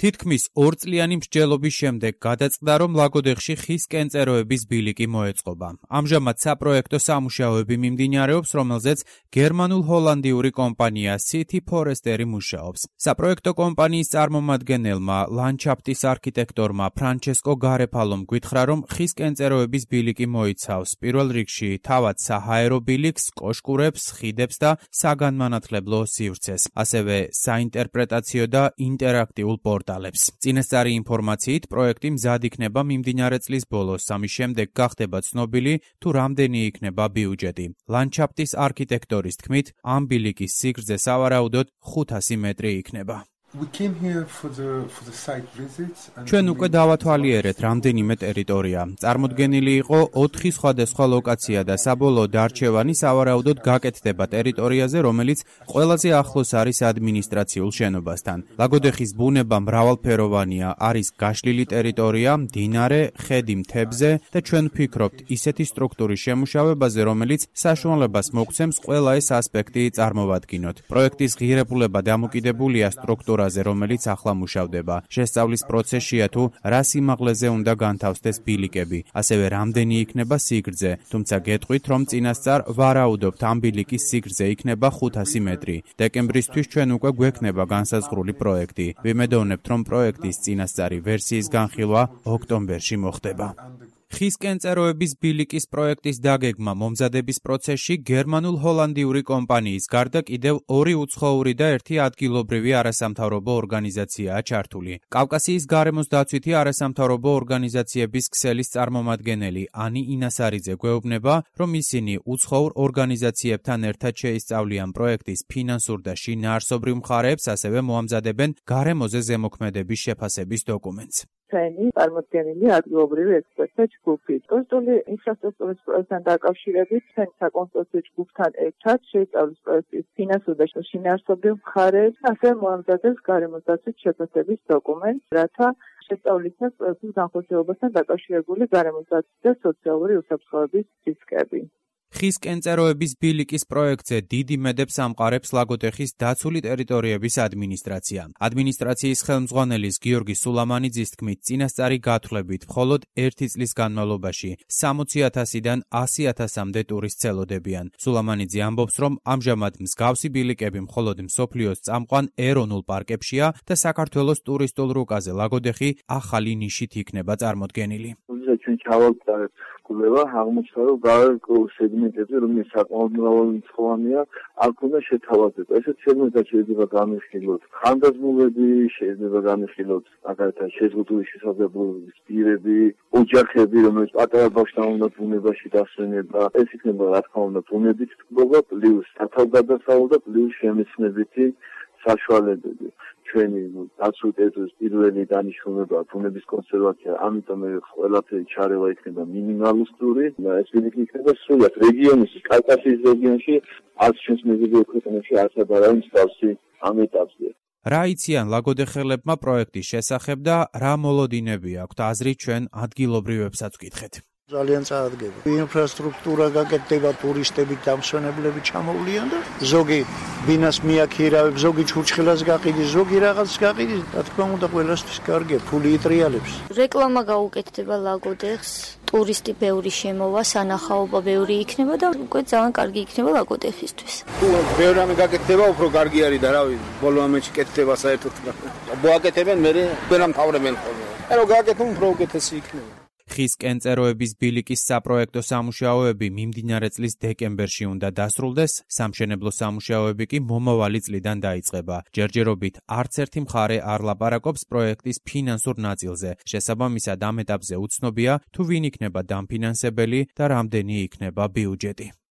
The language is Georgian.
თითქმის 2 წლიანი მსჯელობის შემდეგ გადაწყდა, რომ ლაგოდეხში ხის კენწეროების ბილიკი მოეწყობა. ამჟამად საპროექტო სამუშაოები მიმდინარეობს, რომელზეც გერმანულ-ჰოლანდიური კომპანია City Forestry მუშაობს. საპროექტო კომპანიის წარმომადგენელმა ლანდშაფტის არქიტექტორმა ფრანჩესკო გარეფალომ გითხრა, რომ ხის კენწეროების ბილიკი მოიცავს პირველ რიგში თავად საჰაერო ბილიკს, კოშკურებს, ხიდებს და საგანმანათლებლო სივრცეს, ასევე საინტერპრეტაციო და ინტერაქტიულ პორტალებს. წინასწარი ინფორმაციით, პროექტი მზად იქნება მიმდინარე წლის ბოლოს, ამის შემდეგ გახდება ცნობილი, თუ რამდენი იქნება ბიუჯეტი. ლანდშაფტის არქიტექტორის თქმით, ამ ბილიკის სიგრძე სავარაუდოდ 500 მეტრი იქნება. ჩვენ უკვე დავათვალიერეთ რამდენიმე ტერიტორია. წარმოდგენილი იყო 4 სხვადასხვა ლოკაცია და საბოლოო არჩევანი სავარაუდოდ გაკეთდება ტერიტორიაზე, რომელიც ყველაზე ახლოს არის ადმინისტრაციულ შენობასთან. ლაგოდეხის ბუნება მრავალფეროვანია, არის გაშლილი ტერიტორია, მდინარე, ხედი მთებზე და ჩვენ ვფიქრობთ ისეთი სტრუქტურის შემუშავებაზე, რომელიც საშუალებას მოგცემს ყველა ეს ასპექტი წარმოვადგინოთ. პროექტის ღირებულება დამოკიდებულია სტრუქტურაზე, რომელიც ახლა მუშავდება. შესწავლის პროცესია თუ რა სიმაღლეზე უნდა განთავსდეს ბილიკები, ასევე რამდენი იქნება სიგრძე, თუმცა გეტყვით, რომ წინასწარ ვარაუდობთ ამ ბილიკის სიგრძე იქნება 500 მეტრი. დეკემბრისთვის ჩვენ უკვე გვექნება განსაზღვრული პროექტი. ვიმედოვნებთ, რომ პროექტის წინასწარი ვერსიის განხილვა ოქტომბერში მოხდება. ხის კენწეროების ბილიკის პროექტის დაგეგმა მომზადების პროცესში გერმანულ-ჰოლანდიური კომპანიის გარდა კიდევ 2 უცხოური და 1 ადგილობრივი არასამთავრობო ორგანიზაციაა ჩართული. კავკასიის გარემოს დაცვითი არასამთავრობო ორგანიზაციების ქსელის წარმომადგენელი ანი ინასარიძე გვეუბნება, რომ ისინი უცხოურ ორგანიზაციებთან ერთად შეისწავლიან პროექტის ფინანსურ და შინაარსობრივ მხარეებს, ასევე მოამზადებენ გარემოზე ზემოქმედების შეფასების დოკუმენტს. ჩვენი წარმოდგენილი ადგილობრივი ექსპერტთა ჯგუფი. კონსტრუქციული ინფრასტრუქტურის პროექტთან დაკავშირებით ჩვენ საკონსტრუქციო ჯგუფთან ერთად შეისწავლის პროექტის ფინანსურ და შინაარსობრივ მხარეებს, ასევე მოამზადებს გარემოს დაცვის შეფასების დოკუმენტს, რათა შესწავლისას პროექტის განხორციელებასთან დაკავშირებული გარემოს დაცვის და სოციალური უსაფრთხოების რისკები. ხის კენწეროების ბილიკის პროექტზე დიდი მედებს ამყარებს ლაგოდეხის დაცული ტერიტორიების ადმინისტრაცია. ადმინისტრაციის ხელმძღვანელის გიორგი სულამანიძის თქმით, წინასწარი გათვლებით მხოლოდ 1 წლის განმავლობაში 60,000-დან 100,000-მდე ტურისტს ელოდებიან. სულამანიძე ამბობს, რომ ამჟამად მსგავსი ბილიკები მხოლოდ მსოფლიოს წამყვან ეროვნულ პარკებშია და საქართველოს ტურისტულ რუკაზე ლაგოდეხი ახალი ნიშით იქნება წარმოდგენილი. ჩვენ ჩავაგზავნებთ კვლევა, აღმოჩნდა, რომ გარკვეულ სეგმენტებზე, რომელიც საკმაოდ მრავალრიცხოვანია, აქ უნდა შეთავაზება. ესეთ სეგმენტად შეიძლება განვიხილოთ ხანდაზმულები, შეიძლება განვიხილოთ მაგალითად შეზღუდული შესაძლებლობის პირები, ოჯახები, რომელიც პატარა ბავშვთან უნდა ბუნებაში დასვენება. ეს იქნება, რა თქმა უნდა, ბუნებით ტკბობა, პლუს სათავგადასავლო და პლუს შემეცნებითი საშუალებები. ჩვენი დაცული ტერიტორიის პირველი დანიშნულება ბუნების კონსერვაცია, ამიტომ ყველაფერი ჩარევა იქნება მინიმალისტური და ეს ბილიკი იქნება სრულად რეგიონის, კავკასიის რეგიონში, არც ჩვენს მეზობელ ქვეყნებში არც არავინ მსგავსი ამ ეტაპზე. რა იციან ლაგოდეხელებმა პროექტის შესახებ და რა მოლოდინები აქვთ აზრი ჩვენ ადგილობრივებსაც ვკითხეთ. ძალიან წარადგება. ინფრასტრუქტურა გაკეთდება, ტურისტები, დამსვენებლები ჩამოვლიან და ზოგი ბინას მიაქირავებს, ზოგი ჩურჩხელას გაყიდის, ზოგი რაღაც გაყიდის, რა თქმა უნდა, ყველასთვის კარგია, ფული იტრიალებს. რეკლამა გაუკეთდება ლაგოდეხს, ტურისტი ბევრი შემოვა, სანახაობა ბევრი იქნება და უკვე ძალიან კარგი იქნება ლაგოდეხისთვის. თუ ბევრი რამე გაკეთდება, უფრო კარგი არის და რავი, ბოლო ამაში კეთდება საერთოდ. მოაკეთებენ, მე ვერა მთავრებენ ხოლმე. რომ გააკეთონ, უფრო უკეთესი იქნება. ხის კენწეროების ბილიკის საპროექტო სამუშაოები მიმდინარე წლის დეკემბერში უნდა დასრულდეს, სამშენებლო სამუშაოები კი მომავალი წლიდან დაიწყება. ჯერჯერობით არც ერთი მხარე არ ლაპარაკობს პროექტის ფინანსურ ნაწილზე. შესაბამისად, ამ ეტაპზე უცნობია, თუ ვინ იქნება დამფინანსებელი და რამდენი იქნება ბიუჯეტი.